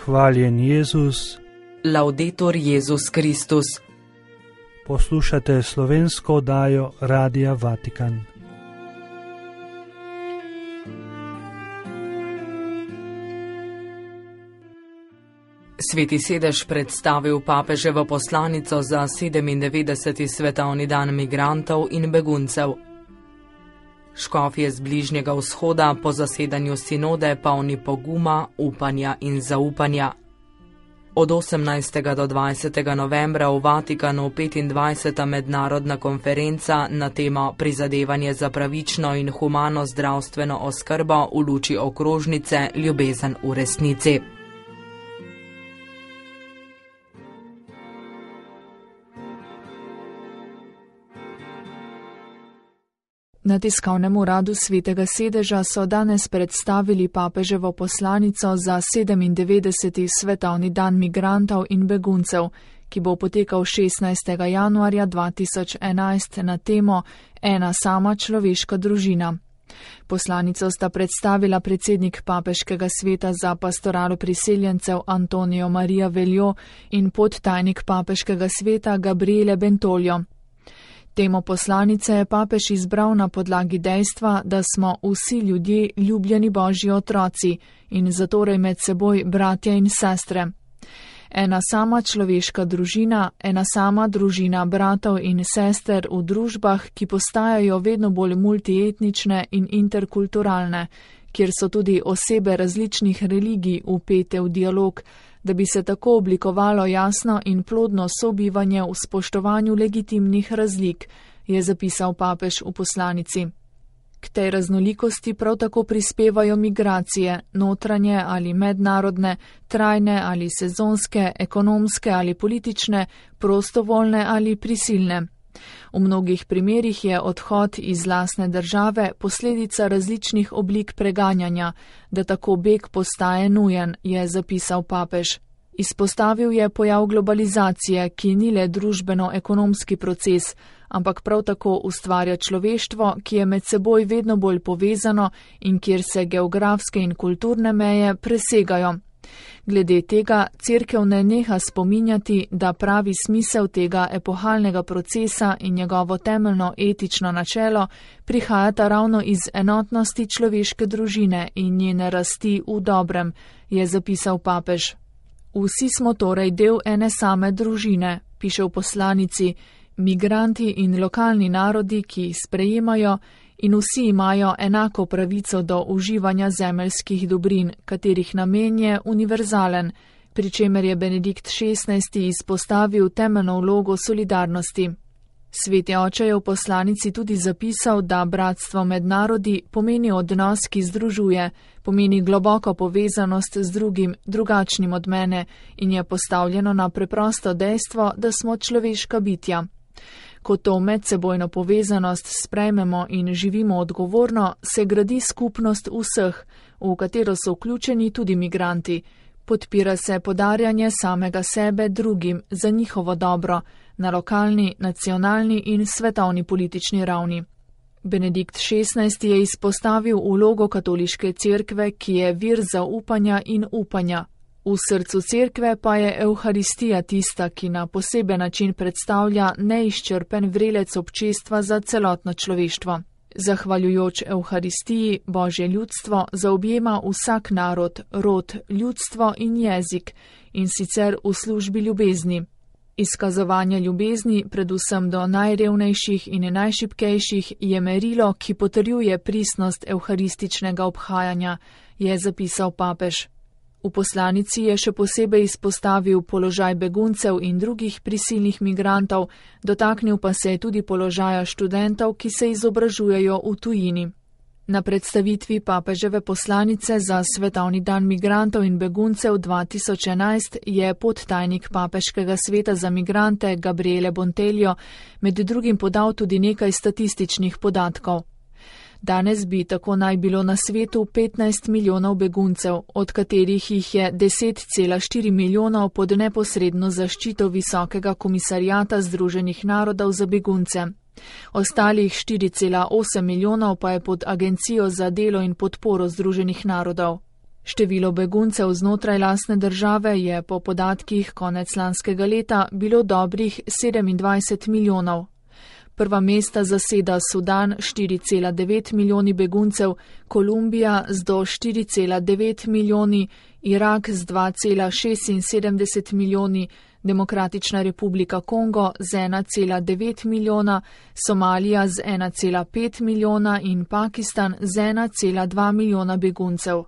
Hvaljen Jezus. Laudetur Jezus Kristus. Poslušate slovensko oddajo Radia Vatikan. Sveti sedež predstavil papeževo poslanico za 97. svetovni dan migrantov in beguncev. Škofje z Bližnjega vzhoda po zasedanju sinode polni poguma, upanja in zaupanja. Od 18. do 20. novembra v Vatikanu 25. mednarodna konferenca na temo prizadevanje za pravično in humano zdravstveno oskrbo v luči okrožnice Ljubezen v resnici. Na tiskovnem uradu Svetega sedeža so danes predstavili papeževo poslanico za 97. svetovni dan migrantov in beguncev, ki bo potekal 16. januarja 2011 na temo Ena sama človeška družina. Poslanico sta predstavila predsednik papeškega sveta za pastoralo priseljencev Antonio Maria Veljo in podtajnik papeškega sveta Gabriele Bentoljo. Temo poslanice je papež izbral na podlagi dejstva, da smo vsi ljudje ljubljeni Božji otroci in zatorej med seboj bratje in sestre. Ena sama človeška družina, ena sama družina bratov in sester v družbah, ki postajajo vedno bolj multietnične in interkulturalne, kjer so tudi osebe različnih religij vpete v dialog, da bi se tako oblikovalo jasno in plodno sobivanje v spoštovanju legitimnih razlik, je zapisal papež v poslanici. K tej raznolikosti prav tako prispevajo migracije, notranje ali mednarodne, trajne ali sezonske, ekonomske ali politične, prostovoljne ali prisilne. V mnogih primerih je odhod iz lastne države posledica različnih oblik preganjanja, da tako beg postaje nujen, je zapisal papež. Izpostavil je pojav globalizacije, ki ni le družbeno-ekonomski proces, ampak prav tako ustvarja človeštvo, ki je med seboj vedno bolj povezano in kjer se geografske in kulturne meje presegajo. Glede tega cerkev ne neha spominjati, da pravi smisel tega epohalnega procesa in njegovo temeljno etično načelo prihajata ravno iz enotnosti človeške družine in njene rasti v dobrem, je zapisal papež. Vsi smo torej del ene same družine, piše v poslanici, migranti in lokalni narodi, ki jih sprejemajo, in vsi imajo enako pravico do uživanja zemeljskih dobrin, katerih namen je univerzalen, pri čemer je Benedikt XVI. Izpostavil temeljno vlogo solidarnosti. Sveti oče je v poslanici tudi zapisal, da bratstvo med narodi pomeni odnos, ki združuje, pomeni globoko povezanost z drugim, drugačnim od mene in je postavljeno na preprosto dejstvo, da smo človeška bitja. Ko to medsebojno povezanost sprejmemo in živimo odgovorno, se gradi skupnost vseh, v katero so vključeni tudi migranti. Podpira se podarjanje samega sebe drugim za njihovo dobro na lokalni, nacionalni in svetovni politični ravni. Benedikt XVI. Je izpostavil vlogo katoliške cerkve, ki je vir zaupanja in upanja. V srcu cerkve pa je Evharistija tista, ki na poseben način predstavlja neizčrpen vrelec občestva za celotno človeštvo. Zahvaljujoč Evharistiji Božje ljudstvo zaobjema vsak narod, rod, ljudstvo in jezik, in sicer v službi ljubezni. Izkazovanje ljubezni, predvsem do najrevnejših in najšibkejših, je merilo, ki potrjuje pristnost evharističnega obhajanja, je zapisal papež. V poslanici je še posebej izpostavil položaj beguncev in drugih prisilnih migrantov, dotaknil pa se je tudi položaja študentov, ki se izobražujejo v tujini. Na predstavitvi papeževe poslanice za svetovni dan migrantov in beguncev 2011 je podtajnik papeškega sveta za migrante Gabriele Bentoljo med drugim podal tudi nekaj statističnih podatkov. Danes bi tako naj bilo na svetu 15 milijonov beguncev, od katerih jih je 10,4 milijonov pod neposredno zaščito Visokega komisarijata Združenih narodov za begunce. Ostalih 4,8 milijonov pa je pod Agencijo za delo in podporo Združenih narodov. Število beguncev znotraj lastne države je po podatkih konec lanskega leta bilo dobrih 27 milijonov. Prva mesta zaseda Sudan 4,9 milijoni beguncev, Kolumbija z do 4,9 milijoni, Irak z 2,76 milijoni, Demokratična republika Kongo z 1,9 milijona, Somalija z 1,5 milijona in Pakistan z 1,2 milijona beguncev.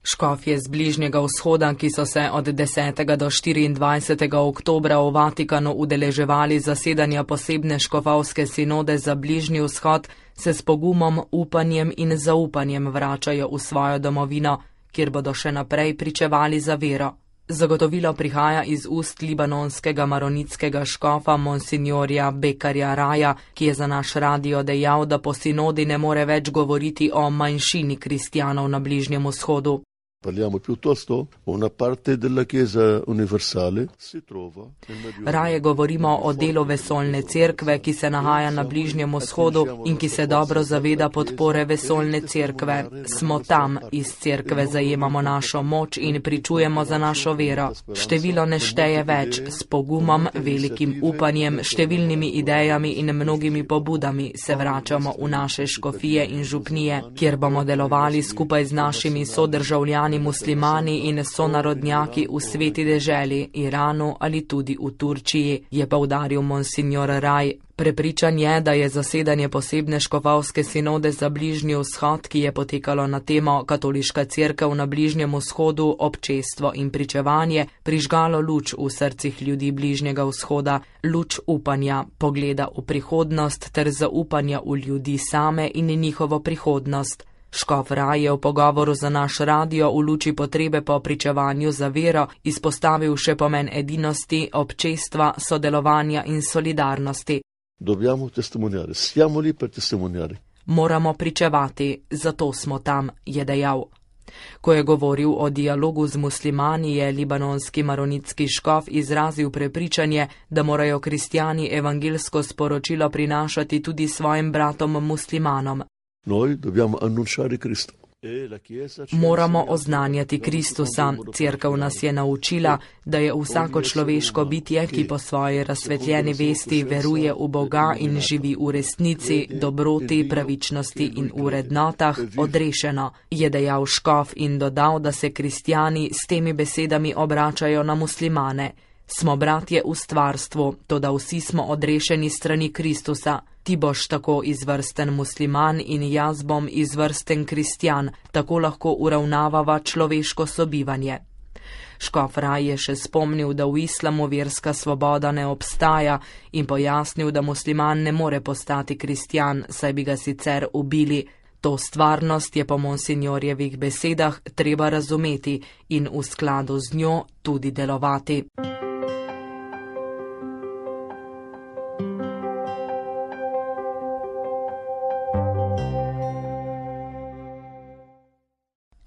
Škofje z Bližnjega vzhoda, ki so se od 10. do 24. oktobra v Vatikanu udeleževali zasedanja posebne škofovske sinode za Bližnji vzhod, se s pogumom, upanjem in zaupanjem vračajo v svojo domovino, kjer bodo še naprej pričevali za vero. Zagotovilo prihaja iz ust libanonskega maronitskega škofa monsignorja Bekarja Raja, ki je za naš radio dejal, da po sinodi ne more več govoriti o manjšini kristjanov na Bližnjem vzhodu. Parliamo piuttosto o una parte della Chiesa universale si trova nel Medio. Raje govorimo o delu vesoljne cerkve, ki se nahaja na Bližnjem vzhodu in ki se dobro zaveda podpore vesoljne cerkve. Smo tam, iz cerkve zajemamo našo moč in pričujemo za našo vero. Število ne šteje več, s pogumom, velikim upanjem, številnimi idejami in mnogimi pobudami se vračamo v naše škofije in župnije, kjer bomo delovali skupaj z našimi sodržavljani muslimani in sonarodnjaki v sveti deželi, Iranu ali tudi v Turčiji, je poudaril monsignor Raj. Prepričan je, da je zasedanje posebne škofovske sinode za Bližnji vzhod, ki je potekalo na temo Katoliška cerkev na Bližnjem vzhodu, občestvo in pričevanje, prižgalo luč v srcih ljudi Bližnjega vzhoda, luč upanja, pogleda v prihodnost ter zaupanja v ljudi same in njihovo prihodnost. Škof Raj je v pogovoru za naš radio v luči potrebe po pričevanju za vero izpostavil še pomen edinosti, občestva, sodelovanja in solidarnosti. Dobbiamo testimoniare, siamo lì per testimoniare. Moramo pričevati, zato smo tam, je dejal. Ko je govoril o dialogu z muslimani, je libanonski maronitski škof izrazil prepričanje, da morajo kristjani evangelsko sporočilo prinašati tudi svojim bratom muslimanom. Noi dobbiamo annunciare Cristo. Moramo oznanjati Kristusa. Cerkev nas je naučila, da je vsako človeško bitje, ki po svoji razsvetljeni vesti veruje v Boga in živi v resnici, dobroti, pravičnosti in v vrednotah, odrešeno, je dejal škof in dodal, da se kristjani s temi besedami obračajo na muslimane. Smo bratje v stvarstvu, toda vsi smo odrešeni strani Kristusa. Ti boš tako izvrsten musliman in jaz bom izvrsten kristjan, tako lahko uravnavava človeško sobivanje. Škof Raj je še spomnil, da v islamu verska svoboda ne obstaja in pojasnil, da musliman ne more postati kristjan, saj bi ga sicer ubili. To stvarnost je po monsignorjevih besedah treba razumeti in v skladu z njo tudi delovati.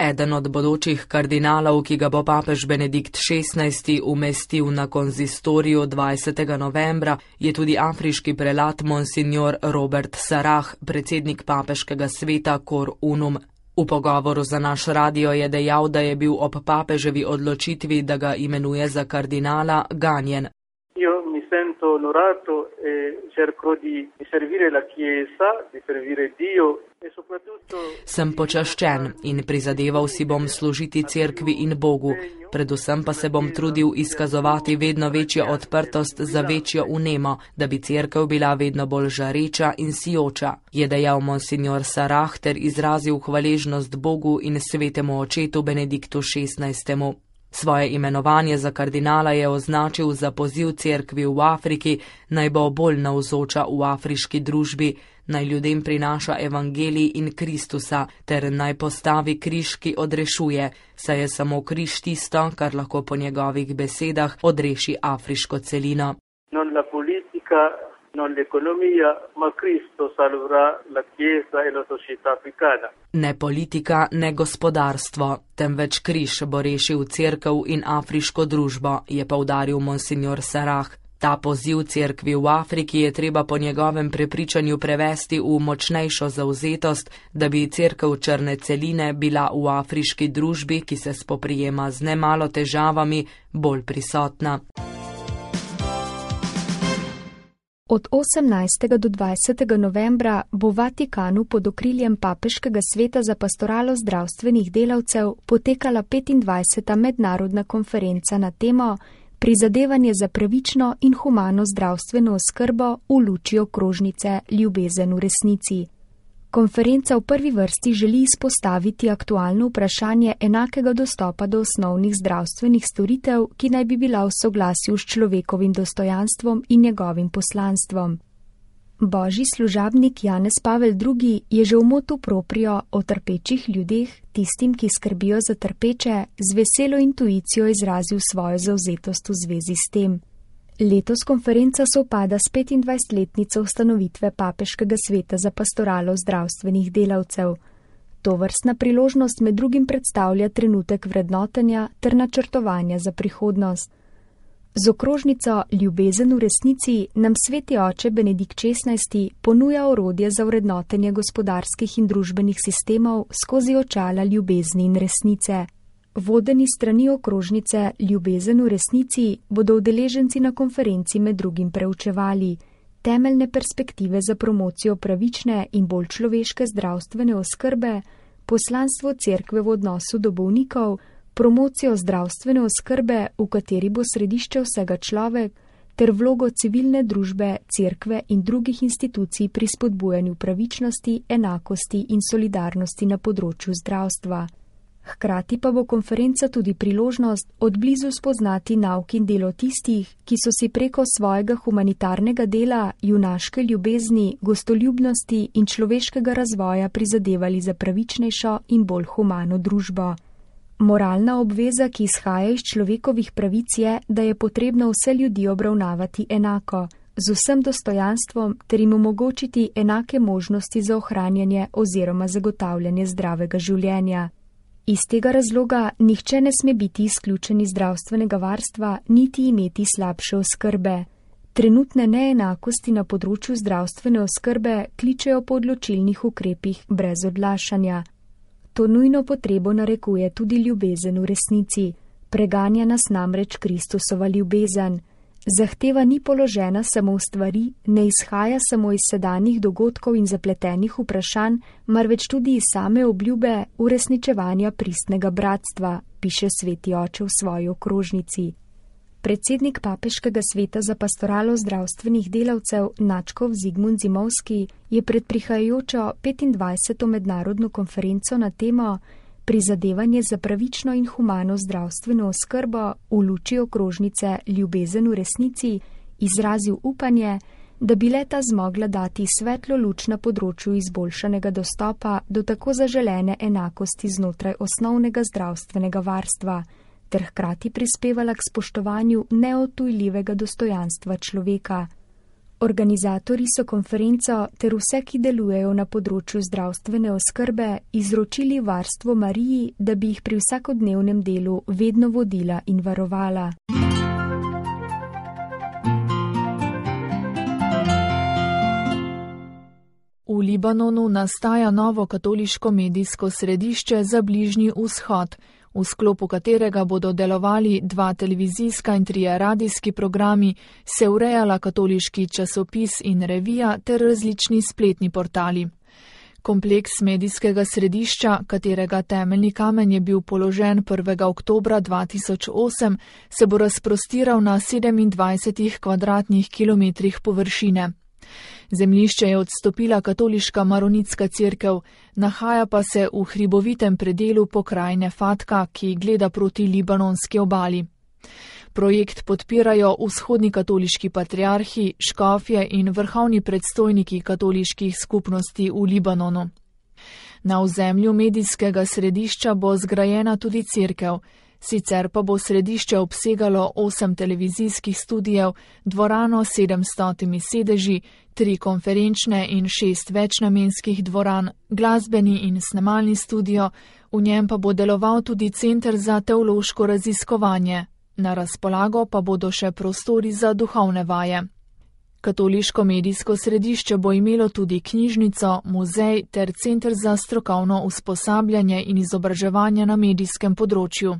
Eden od bodočih kardinalov, ki ga bo papež Benedikt XVI umestil na konzistoriju 20. novembra, je tudi afriški prelat monsignor Robert Sarah, predsednik papeškega sveta Cor Unum. V pogovoru za naš radio je dejal, da je bil ob papeževi odločitvi, da ga imenuje za kardinala, ganjen. Sento onorato e cerco di servire la Chiesa, di servire Dio e soprattutto. Sem počaščen in prizadeval si bom služiti cerkvi in Bogu, predvsem pa se bom trudil izkazovati vedno večjo odprtost za večjo vnemo, da bi cerkev bila vedno bolj žareča in sijoča, je dejal monsignor Sarah ter izrazil hvaležnost Bogu in svetemu očetu Benediktu XVI. Svoje imenovanje za kardinala je označil za poziv cerkvi v Afriki, naj bo bolj navzoča v afriški družbi, naj ljudem prinaša evangelij in Kristusa, ter naj postavi križ, ki odrešuje, saj je samo križ tisto, kar lahko po njegovih besedah odreši afriško celino. Non la politica, non l'economia, ma Cristo salverà la Chiesa e la società africana. Ne politika, ne gospodarstvo, temveč križ bo rešil cerkev in afriško družbo, je poudaril monsignor Sarah. Ta poziv cerkvi v Afriki je treba po njegovem prepričanju prevesti v močnejšo zavzetost, da bi cerkev črne celine bila v afriški družbi, ki se spoprijema z nemalo težavami, bolj prisotna. Od 18. do 20. novembra bo v Vatikanu pod okriljem Papeškega sveta za pastoralo zdravstvenih delavcev potekala 25. mednarodna konferenca na temo Prizadevanje za pravično in humano zdravstveno oskrbo v luči okrožnice Ljubezen v resnici. Konferenca v prvi vrsti želi izpostaviti aktualno vprašanje enakega dostopa do osnovnih zdravstvenih storitev, ki naj bi bila v soglasju s človekovim dostojanstvom in njegovim poslanstvom. Božji služabnik Janez Pavel II. Je že v motu proprio o trpečih ljudeh, tistim, ki skrbijo za trpeče, z veselo intuicijo izrazil svojo zavzetost v zvezi s tem. Letos konferenca sovpada s 25-letnico ustanovitve Papeškega sveta za pastoralo zdravstvenih delavcev. Tovrstna priložnost med drugim predstavlja trenutek vrednotenja ter načrtovanja za prihodnost. Z okrožnico Ljubezen v resnici nam sveti oče Benedikt XVI. Ponuja orodje za vrednotenje gospodarskih in družbenih sistemov skozi očala ljubezni in resnice. Vodeni strani okrožnice Ljubezen v resnici bodo udeleženci na konferenci med drugim preučevali temeljne perspektive za promocijo pravične in bolj človeške zdravstvene oskrbe, poslanstvo cerkve v odnosu do bolnikov, promocijo zdravstvene oskrbe, v kateri bo središče vsega človek, ter vlogo civilne družbe, cerkve in drugih institucij pri spodbujanju pravičnosti, enakosti in solidarnosti na področju zdravstva. Hkrati pa bo konferenca tudi priložnost od blizu spoznati nauk in delo tistih, ki so si preko svojega humanitarnega dela, junaške ljubezni, gostoljubnosti in človeškega razvoja prizadevali za pravičnejšo in bolj humano družbo. Moralna obveza, ki izhaja iz človekovih pravic, je, da je potrebno vse ljudi obravnavati enako, z vsem dostojanstvom ter jim omogočiti enake možnosti za ohranjanje oziroma zagotavljanje zdravega življenja. Iz tega razloga nihče ne sme biti izključen iz zdravstvenega varstva, niti imeti slabše oskrbe. Trenutne neenakosti na področju zdravstvene oskrbe kličejo po odločilnih ukrepih brez odlašanja. To nujno potrebo narekuje tudi ljubezen v resnici. Preganja nas namreč Kristusova ljubezen. Zahteva ni položena samo v stvari, ne izhaja samo iz sedanjih dogodkov in zapletenih vprašanj, marveč tudi iz same obljube uresničevanja pristnega bratstva, piše sveti oče v svoji okrožnici. Predsednik Papeškega sveta za pastoralo zdravstvenih delavcev nadškof Zigmund Zimovski je pred prihajajočo 25. mednarodno konferenco na temo Prizadevanje za pravično in humano zdravstveno oskrbo v luči okrožnice Ljubezen v resnici izrazil upanje, da bi le-ta zmogla dati svetlo luč na področju izboljšanega dostopa do tako zaželene enakosti znotraj osnovnega zdravstvenega varstva, ter hkrati prispevala k spoštovanju neodtujljivega dostojanstva človeka. Organizatorji so konferenco ter vse, ki delujejo na področju zdravstvene oskrbe, izročili varstvo Mariji, da bi jih pri vsakodnevnem delu vedno vodila in varovala. V Libanonu nastaja novo katoliško medijsko središče za Bližnji vzhod, v sklopu katerega bodo delovali 2 televizijska in 3 radijski programi, se urejala katoliški časopis in revija ter različni spletni portali. Kompleks medijskega središča, katerega temeljni kamen je bil položen 1. oktobra 2008, se bo razprostiral na 27 kvadratnih kilometrih površine. Zemljišče je odstopila katoliška maronitska cerkev, nahaja pa se v hribovitem predelu pokrajine Fatka, ki gleda proti libanonski obali. Projekt podpirajo vzhodni katoliški patriarhi, škofje in vrhovni predstojniki katoliških skupnosti v Libanonu. Na ozemlju medijskega središča bo zgrajena tudi cerkev, sicer pa bo središče obsegalo 8 televizijskih studijev, dvorano s 700 sedeži, 3 konferenčne in 6 večnamenskih dvoran, glasbeni in snemalni studio, v njem pa bo deloval tudi center za teološko raziskovanje. Na razpolago pa bodo še prostori za duhovne vaje. Katoliško medijsko središče bo imelo tudi knjižnico, muzej ter center za strokovno usposabljanje in izobraževanje na medijskem področju.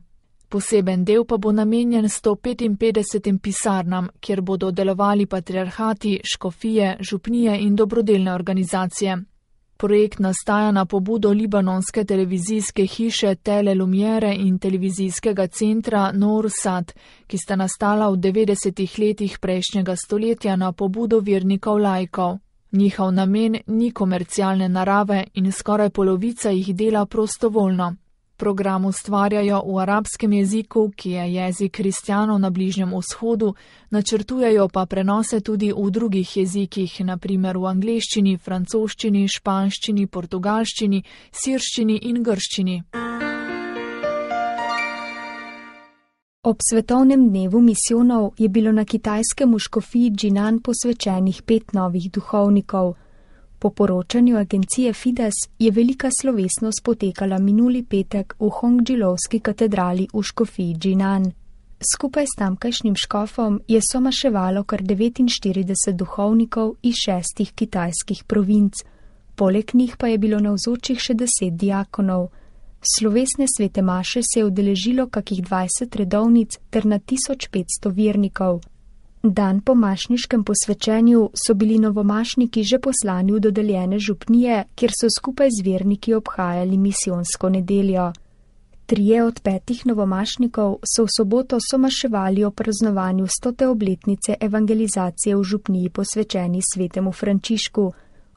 Poseben del pa bo namenjen 155 pisarnam, kjer bodo delovali patriarhati, škofije, župnije in dobrodelne organizacije. Projekt nastaja na pobudo libanonske televizijske hiše Tele Lumiere in televizijskega centra Noor Sad, ki sta nastala v 90. letih prejšnjega stoletja na pobudo vernikov laikov. Njihov namen ni komercialne narave in skoraj polovica jih dela prostovoljno. Program ustvarjajo v arabskem jeziku, ki je jezik kristjanov na Bližnjem vzhodu, načrtujejo pa prenose tudi v drugih jezikih, na primer v angleščini, francoščini, španščini, portugalščini, sirščini in grščini. Ob svetovnem dnevu misijonov je bilo na kitajskem v škofiji Jinan posvečenih 5 novih duhovnikov. Po poročanju agencije Fides je velika slovesnost potekala minuli petek v Hongdžilovski katedrali v škofiji Jinan. Skupaj s tamkajšnjim škofom je somaševalo kar 49 duhovnikov iz 6 kitajskih provinc. Poleg njih pa je bilo navzočih še 10 diakonov. Slovesne svete maše se je udeležilo kakih 20 redovnic ter na 1500 vernikov. Dan po mašniškem posvečenju so bili novomašniki že poslani v dodeljene župnije, kjer so skupaj z verniki obhajali misijonsko nedeljo. 3 od 5 novomašnikov so v soboto somaševali o praznovanju 100. obletnice evangelizacije v župniji posvečeni svetemu Frančišku.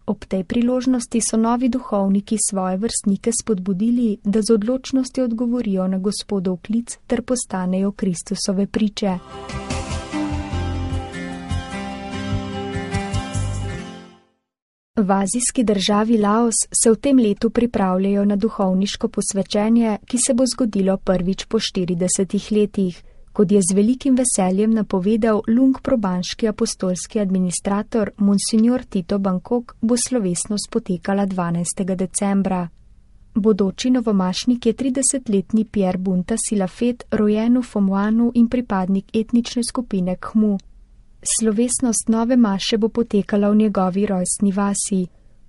Ob tej priložnosti so novi duhovniki svoje vrstnike spodbudili, da z odločnostjo odgovorijo na Gospodov klic ter postanejo Kristusove priče. V azijski državi Laos se v tem letu pripravljajo na duhovniško posvečenje, ki se bo zgodilo prvič po 40 letih. Kot je z velikim veseljem napovedal Lung probanški apostolski administrator Monsignor Tito Bangkok, bo slovesnost potekala 12. decembra. Bodoči novomašnik je 30-letni Pierre Bunta Silafet, rojen v Fomuanu in pripadnik etnične skupine Khmu. Slovesnost nove maše bo potekala v njegovi rojstni vasi.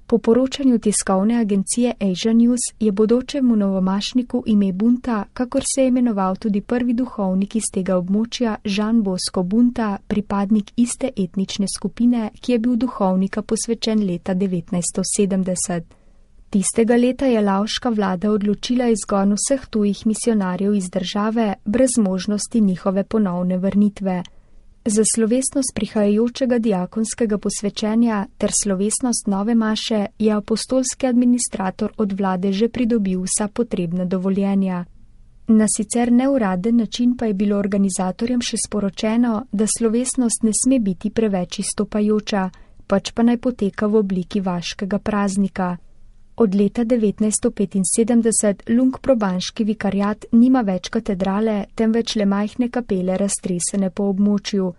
Po poročanju tiskovne agencije Asia News je bodočemu novomašniku ime Bunta, kakor se je imenoval tudi prvi duhovnik iz tega območja, Jean Bosco Bunta, pripadnik iste etnične skupine, ki je bil duhovnika posvečen leta 1970. Tistega leta je laoška vlada odločila izgon vseh tujih misionarjev iz države brez možnosti njihove ponovne vrnitve. Za slovesnost prihajajočega diakonskega posvečenja ter slovesnost nove maše je apostolski administrator od vlade že pridobil vsa potrebna dovoljenja. Na sicer neuraden način pa je bilo organizatorjem še sporočeno, da slovesnost ne sme biti preveč izstopajoča, pač pa naj poteka v obliki vaškega praznika. Od leta 1975 Lung probanški vikariat nima več katedrale, temveč le majhne kapele raztresene po območju.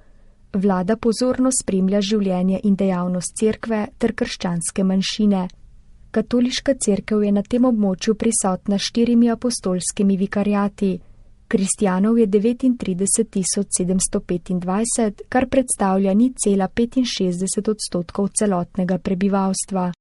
Vlada pozorno spremlja življenje in dejavnost cerkve ter krščanske manjšine. Katoliška cerkev je na tem območju prisotna 4 apostolskimi vikariati. Kristjanov je 39.725, kar predstavlja 0,65% celotnega prebivalstva.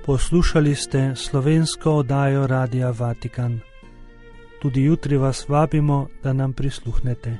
Poslušali ste slovensko oddajo Radia Vatikan. Tudi jutri vas vabimo, da nam prisluhnete.